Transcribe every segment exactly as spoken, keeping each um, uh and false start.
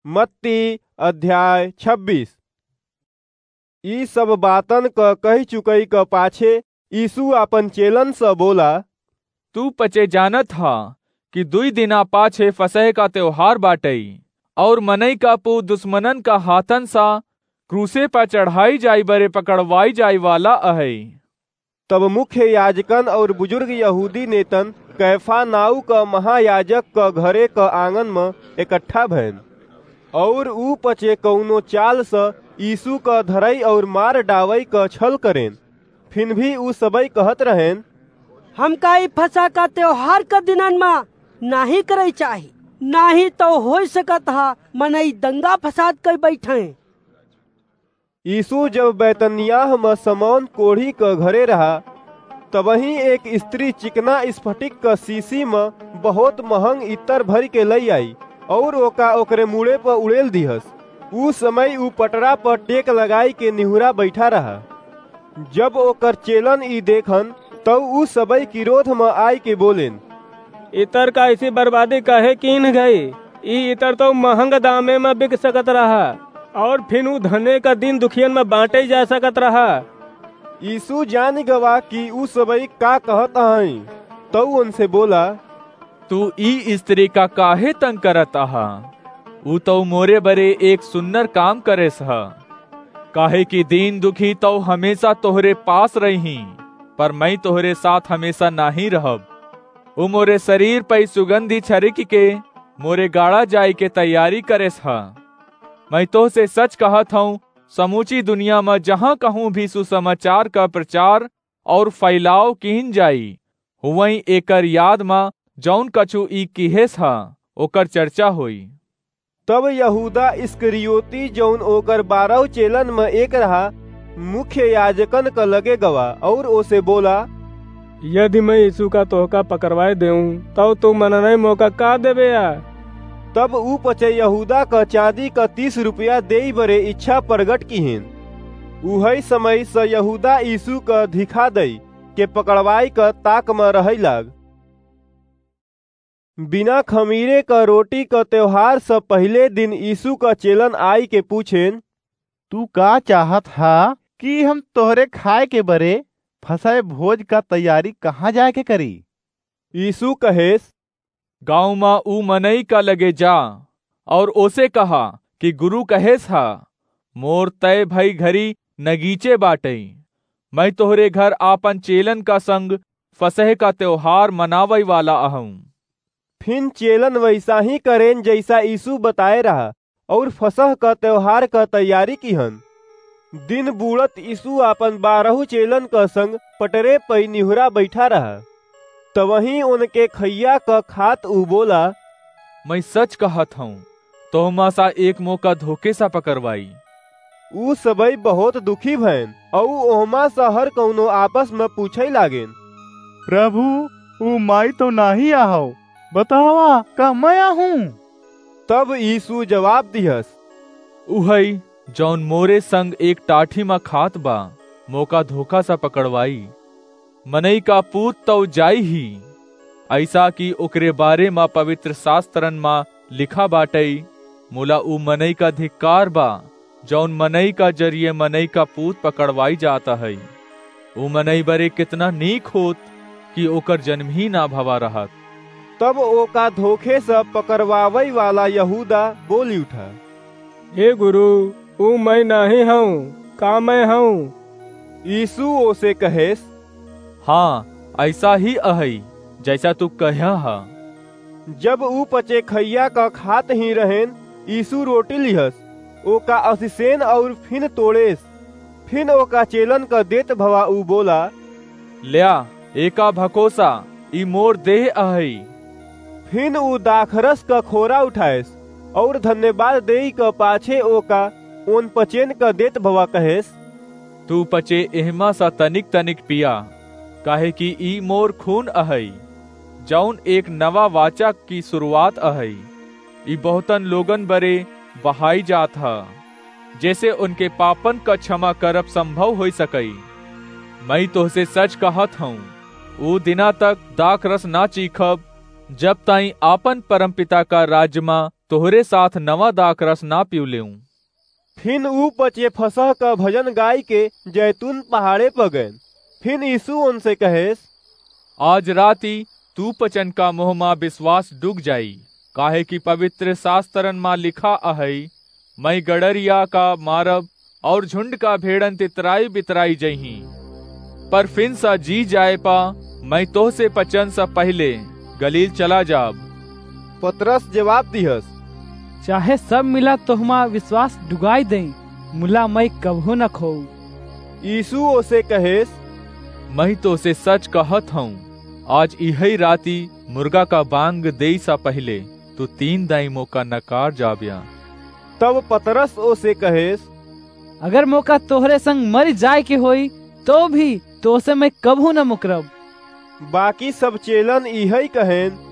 मत्ती अध्याय छब्बीस। ई सब बातन क कहि चुकई क पाछे यीशु आपन चेलन स बोला, तू पचे जानत ह कि दुई दिना पाछे फसह का त्योहार बाटई, और मनई का पू दुश्मनन का हाथन सा क्रूसे पर चढ़ाई जाई बरे पकड़वाई जाई वाला अहई। तब मुख्य याजकन और बुजुर्ग यहूदी नेतन कैफा नाऊ क महायाजक क घरे क आंगन म इकट्ठा भएन, और ऊ पचे कउनो चाल स यीशु क धरई और मार डावई क छल करेन। फिन भी ऊ सबई कहत रहेन, हमका ई फसह का त्योहार क दिनन म नाही करई चाही, नाही तो होइ सकत ह मनई दंगा फसाद कई बैठें। यीशु जब बैतनियाह म समौन कोढ़ी क घरे रहा, तबहीं एक स्त्री चिकना स्फटिक क शीशी म बहुत महंग इत्तर भरि के लई आई, और ओका ओकरे मूड़े प उड़ेल दिहस। ऊ समय ऊ पटरा प टेक लगाई के निहुरा बैठा रहा। जब ओकर चेलन ई देखन, तब ऊ सबई क्रोध म आय के बोलेन, इतर का ऐसी बर्बादी काहे कीन गई? ई इतर तो महंग दामे म बिक सकत रहा, और फिन ऊ धने का दीन दुखियन म बांटे जा सकत रहा। यीशु जान गवा कि ऊ सबई का कहत हई, तऊ उनसे बोला, तू ई स्त्री का काहे तंग करत अहा? ऊ तऊ मोरे बरे एक सुन्नर काम करेस ह। काहे कि दीन दुखी तऊ हमेशा तोहरे पास रही, पर मैं तोहरे साथ हमेशा नाही रहब। ऊ मोरे शरीर पई सुगंधी छरिक के मोरे गाड़ा जाए के तैयारी करेस ह। मैं तोहसे सच कहत हूँ, समूची दुनिया म जहाँ कहूँ भी सुसमाचार का प्रचार और फैलाव कीन जाई, हुवई एकर याद म जौन कछु ई किहेस ह, ओकर चर्चा होई। तब यहूदा इस्करियोती, जौन ओकर बारह चेलन म एक रहा, मुख्य याजकन क लगे गवा और ओसे बोला, यदि मैं यीशु का तोहका पकड़वाए देऊं, तब तू मननई मोका का देबे या? तब ऊ पचे यहूदा क चांदी क तीस रुपया देई बरे इच्छा प्रगट किहेन। उहई समय स यहूदा यीशु क धिखा दई के पकड़वाई क ताक म रहई लाग। बिना खमीरे क रोटी क त्योहार स पहिले दिन यीशु क चेलन आई के पूछेन, तू का चाहत हा कि हम तोहरे खाए के बरे फसह भोज का तैयारी कहाँ जाए के करी? यीशु कहेस, गाँव म ऊ मनई का लगे जा और ओसे कहा कि गुरु कहेस हा, मोर तय भई घरी नगीचे बाटई। मैं तोहरे घर आपन चेलन का संग फसह का त्योहार मनावई वाला अहूँ। फिन चेलन वैसा ही करेन जैसा यीशु बताए रहा, और फसह का त्योहार का तैयारी किहन। दिन बूड़त यीशु आपन बारहू चेलन का संग पटरे पई निहुरा बैठा रहा। तवहीं उनके खैया का खात ऊ बोला, मैं सच कहत हूँ, तोहमा सा एक मोका धोखे सा पकड़वाई। ऊ सबई बहुत दुखी भएन, अऊ ओहमा सा हर कउनो आपस म पूछे लागेन, प्रभु, ऊ माई तो नाही आहव, बतावा, का मैं आहूँ? तब यीशु जवाब दिहस, उहई, जौन मोरे संग एक टाठी म खात बा, मोका धोखा सा पकड़वाई। मनई का पूत तौ जाई ही, ऐसा कि ओकरे बारे म पवित्र शास्त्रन म लिखा बाटई, मोला ऊ मनई का धिक्कार बा, जौन मनई का जरिए मनई का पूत पकड़वाई जात है। ऊ मनई बरे कितना नीक होत कि ओकर जन्म ही ना भवा रहत। तब ओका धोखे से पकड़वावई वाला यहूदा बोली उठा, हे गुरु, ऊ मैं नाही हूँ, का मैं हूँ? यीशु ओसे कहेस, हाँ, ऐसा ही अहई, जैसा तू कह्या हा। जब ऊ पचे खैया का खात ही रहेन, यीशु रोटी लिहस, ओका असिसेन और फिन तोड़ेस, फिन ओका चेलन का देत भवा ऊ बोला, ल्या, एका भकोसा, ई मोर देह अहई। फिन ऊ दाखरस का खोरा उठाएस और धन्यवाद देई का पाछे ओका ओन पचेन का देत भवा कहेस, तू पचे एहमा सा तनिक तनिक पिया, काहे कि ई मोर खून अहई, जौन एक नवा वाचा की शुरुआत अहई। ई बहुतन लोगन बरे बहाई जात ह, जैसे उनके पापन का क्षमा करब संभव होई सकई। मैं तोहसे सच कहत हूँ, ऊ दिना तक दाखरस ना चीखब, जब ताई आपन परमपिता का राज्य मा तोहरे साथ नवा दाखरस ना पिउलेउँ।" फिन ऊ पचे फसह क भजन गाइके जैतून पहाड़े प गएन। फिन यीशु ओनसे कहेस, "आज राती तू पचन का मोह मा विश्वास डूग जाई, काहे कि पवित्र शास्त्रन मा लिखा अहइ, 'मैं गड़रिया का मारब और झुंड का भेड़न तितराई बितराई जइहीं।' पर फिन सा जी जाए पा मैं तोहसे पचन सा पहिले गलील चला जाब।" पतरस जवाब दिहस, "चाहे सब मिला तोहमा विश्वास डुगाई दें, मुला मैं कबहू न खोऊ।" यीशु ओसे कहेस, "मैं तोसे सच कहत हूँ, आज इहई राती मुर्गा का बांग देई सा पहिले तू तीन दाई मोका नकार जाब्या।" तब पतरस ओसे कहेस, "अगर मोका तोहरे संग मरि जाए के होई, तो भी तोसे मैं कबहू न मुकरब।" बाकी सब चेलन इहई कहेन।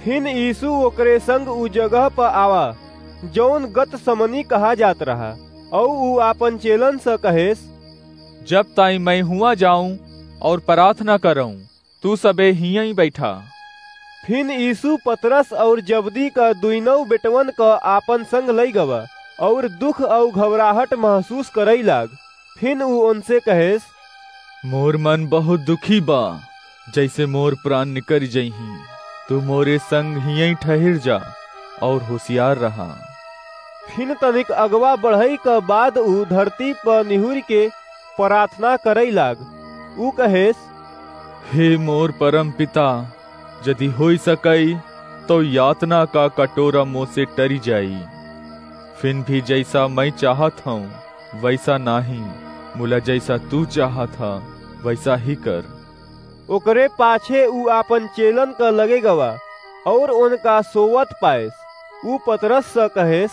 फिन यीशु ओकरे संग उ जगह प आवा, जौन गतसमनी कहा जात रहा, अउ उ आपन चेलन स कहेस, "जब ताई मैं हुआ जाऊं और प्रार्थना करऊं, तू सबे हियई बैठा।" फिन यीशु पतरस और जबदी क दुइनौ बेटवन क आपन संग लई गवा, और दुख और घबराहट महसूस करई लाग। फिन उ ओनसे कहेस, "मोर मन बहुत दुखी बा, जैसे मोर प्राण निकरि जइहीं। तू मोरे संग हियई ठहिर जा और होशियार रहा।" फिन तनिक अगवा बढ़ई क बाद उ धरती प निहुरि के प्रार्थना करई लाग। उ कहेस, "हे मोर परम पिता, यदि होई सकई, तो यातना का कटोरा मोसे टरि जाई। फिन भी जैसा मैं चाहत हूँ, वैसा नाही, मुला जैसा तू चाहत ह, वैसा ही कर।" ओकरे पाछे उ आपन चेलन क लगे गवा और ओनका सोवत पाएस। उ पतरस स कहेस,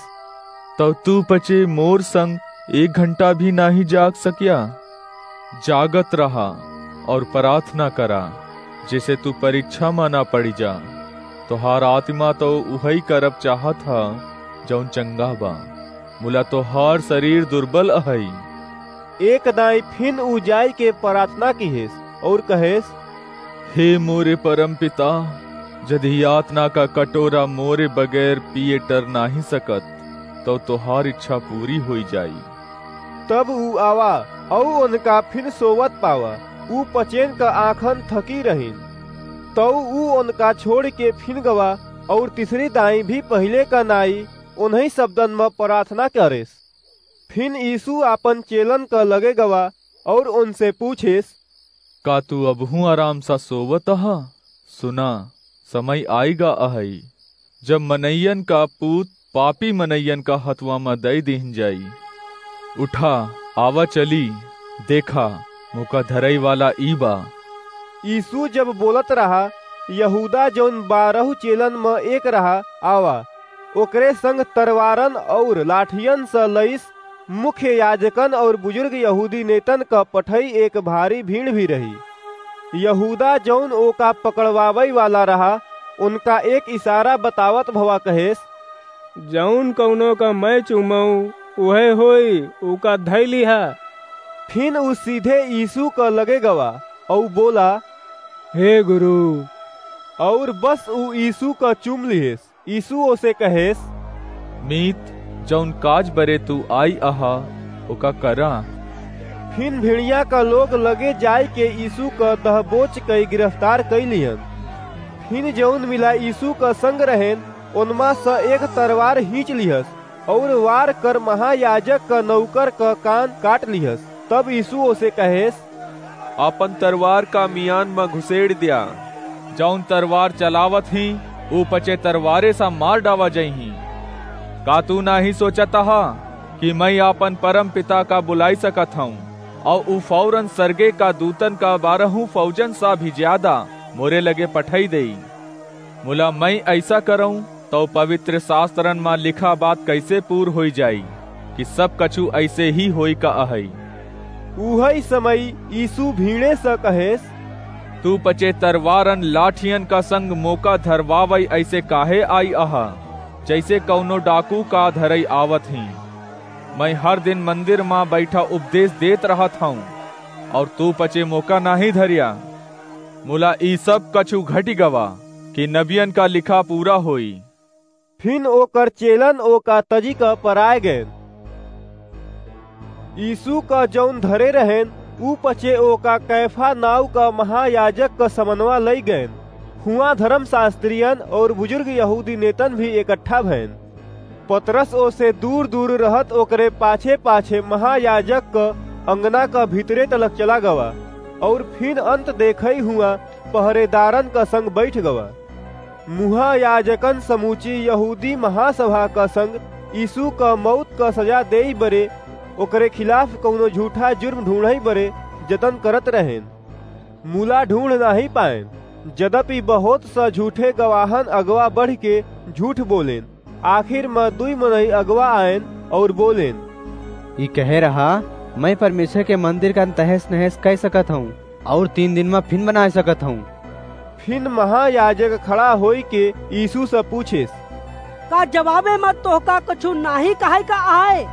"तब तू पचे मोर संग एक घंटा भी नाही जाग सकिया? जागत रहा और प्रार्थना करा, जैसे तू परीक्षा मा ना पड़ी जा। तोहार आत्मा तो उहई करब चाहत ह, जौन चंगा बा, मुला तोहार शरीर दुर्बल अहई।" एक दाई फिन उ जाय के प्रार्थना किहेस और कहेस, "हे मोरे परम पिता, यदि यातना का कटोरा मोरे बगैर पिए टर नाही सकत, तो तोहार इच्छा पूरी होई जाई।" तब उ आवा अउ उनका फिन सोवत पावा। उ पचेन का आँखन थकी रहिन। तउ उ उनका छोड़ के फिन गवा और तीसरी दाई भी पहिले का नाई उन्हीं शब्दन म प्रार्थना करेस। फिन यीशु आपन चेलन क लगे गवा और उनसे पूछेस, "का तू अबहूँ आराम सा सोवत ह? सुना, समय आइगा अहई, जब मनइयन का पूत पापी मनइयन का हथवा म दई दिहन जाई। उठा, आवा चली, देखा, मोका धरई वाला ई बा।" यीशु जब बोलत रहा, यहूदा, जौन बारह चेलन म एक रहा, आवा। ओकरे संग तरवारन और लाठियन स लईस। मुख्य याजकन और बुजुर्ग यहूदी नेतन क पठई एक भारी भीड़ भी रही। यहूदा, जौन ओका पकड़वावई वाला रहा, उनका एक इशारा बतावत भवा कहेस, "जौन कौनो का मैं चूमऊँ, उहे होई, उका धई लिहा।" फिन उ सीधे यीशु क लगे गवा, अउ बोला, "हे गुरु," और बस उ यीशु क चूम लिहेस। यीशु ओसे कहेस, "मीत, जौन काज बरे तू आई अहा, ओका करा।" फिन भिड़िया क लोग लगे जाय के यीशु क दहबोच कई गिरफ्तार कई लिहन। फिन जौन मिला यीशु क संग रहेन, ओनमा स एक तरवार हींच लिहस, और वार कर महायाजक क नौकर क कान काट लिहस। तब यीशु ओसे कहेस, "आपन तरवार का मियान म घुसेड़ द्या। जौन तरवार चलावत ही, ऊ पचे तरवारे सा मार डावा जइही। का तू नाही सोचत हा कि मैं आपन परम पिता का बुलाई सकत हूँ, और ऊ फौरन सरगे का दूतन का बारहू फौजन सा भी ज्यादा मोरे लगे पठई देई? मुला मैं ऐसा करऊँ, तौ पवित्र शास्त्रन मा लिखा बात कैसे पूर होई जाई कि सब कछु ऐसे ही होई का अहई?" उहई समय यीशु भीड़े स कहेस, "तू पचे तरवारन लाठियन का संग मोका धरवावई ऐसे काहे आई अहा, जैसे कौनो डाकू का धरई आवत ही? मैं हर दिन मंदिर मा बैठा उपदेश देत रहत हूँ, और तू पचे मोका नाही धरिया। मुला ई सब कछु घटि गवा कि नबियन का लिखा पूरा होई।" फिन ओकर चेलन ओका तजिक पराय गएन। यीसू क जउन धरे रहेन, ऊ पचे ओका कैफा नाउँ क महायाजक क समनवा लइ गएन। हुआँ धरमसास्त्रियन अउर बुजुर्ग यहूदी नेतन भी एकट्ठा भएन। पतरस ओसे दूर-दूर रहत ओकरे पाछे-पाछे महायाजक क अंगना क भीतरे तलक चला गवा, अउर फिन अंत देखइ हुआँ पहरेदारन क संग बइठ गवा। महायाजकन समूची यहूदी महासभा क संग यीसू क मउत क सजा देइ बरे ओकरे खिलाफ कउनो झूठा जुर्म ढूँढ़इ बरे जतन करत रहेन। मुला ढूँढ़ नाहीं पाएन, जदपि बहुत स झूठे गवाहन अगवा बढ़िके झूठ बोलेन। आखिर म दुइ मनई अगवा आएन अउर बोलेन, "ई कहे रहा, 'मैं परमेश्वर के मंदिर का तहस नहस कइ सकत हउँ अउर तीन दिन म फिन बनाय सकत हउँ।'" फिन महायाजक खड़ा होइके यीसू स पूछेस, "का जवाबे म तोहका कछु नाहीं कहइ का अहइ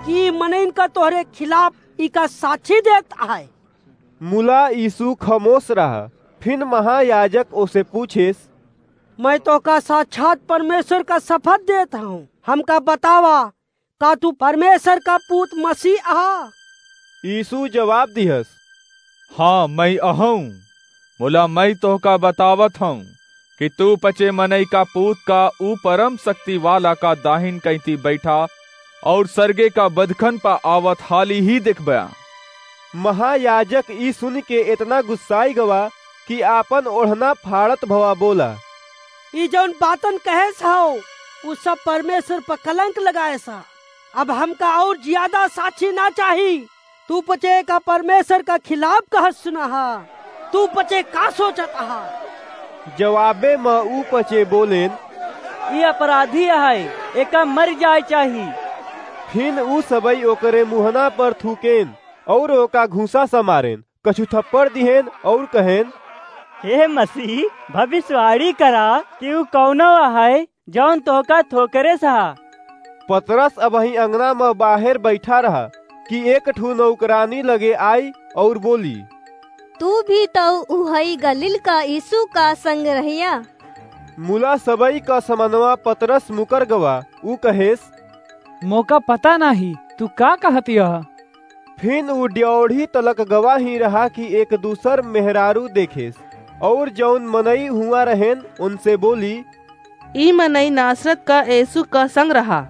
कि मनइन क तोहरे खिलाफ इका साछी देत अहइ?" मुला यीसू खमोस रहा। फिन महायाजक ओसे पूछेस, "मैं तोहका साक्षात परमेश्वर क सपथ देत हउँ, हमका बतावा, का तू परमेश्वर क पूत मसीह अहा?" यीसू जवाब दिहस, "हाँ, मैं अहउँ। मुला मैं तोहका बतावत हउँ कि तू पचे मनई क पूत क ऊ परम सक्ति वाला क दाहिन कइँती बइठा अउर सरगे क बदखन प आवत हाली ही देखब्या।" महायाजक ई सुनिके एतना गुस्साइ गवा कि आपन ओढ़ना फाड़त भवा बोला, "ई जउन बातन कहेस हउ, ऊ सब परमेश्वर प कलंक लगाएस ह। अब हमका अउर जियादा साक्षी न चाही। तू पचे का परमेश्वर क खिलाफ कहत सुना ह। तू पचे का सोचत अहा?" जवाबे म ऊ पचे बोलेन, "ई अपराधी अहइ, एका मरि जाए चाही।" फिन ऊ सबइ ओकरे मुहना पर थूकेन अउर ओका घूँसा स मारेन, कछु थप्पड़ दिहेन अउर कहेन, "हे मसीह, भविष्यवाणी करा कि ऊ कउनो अहइ, जउन तोहका थोकरेस ह।" पतरस अबहीं अंगना म बाहेर बइठा रहा कि एक ठू नौकरानी लगे आई अउर बोली, "तू भी तउ उहइ गलील क यीसू क संग रहिया।" मुला सबइ क समनवा पतरस मुकर गवा, ऊ कहेस, "मोका पता नाहीं, तू का कहत यह?" फिन ऊ ड्योढ़ी तलक गवा ही रहा कि एक दूसर मेहरारू देखेस, अउर जउन मनई हुआँ रहेन, ओनसे बोली, "ई मनई नासरत क यीसू क संग रहा।"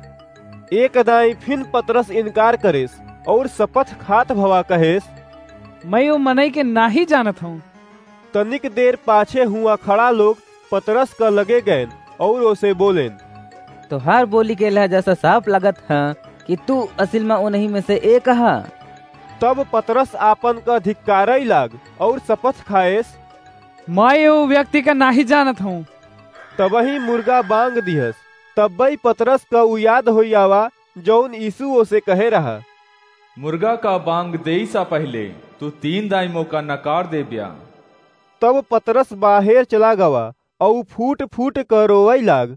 एक दाईं फिन पतरस इनकार करेस, अउर सपथ खात भवा कहेस, "मैं ओ मनई के नाहीं जानत हउँ।" तनिक देर पाछे हुआँ खड़ा लोग पतरस क लगे गएन अउर ओसे बोलेन, "तोहार बोली के लहजा स साफ लागत ह कि तू असिल म ओनही में से एक ह।" तब पतरस आपन क धिक्कारइ लाग अउर सपथ खाएस, "मैं ओ व्यक्ति क नाहीं जानत हउँ।" तबहीं मुर्गा बाँग दिहस। तब्बइ पतरस क उ याद होइ आवा, जउन यीसू ओसे कहे रहा, "मुर्गा क बाँग देइ स पहिले तू तीन दाईं मोका नकार देब्या।" तब पतरस बाहेर चला गवा, अउ फूट फूट क रोवइ लाग,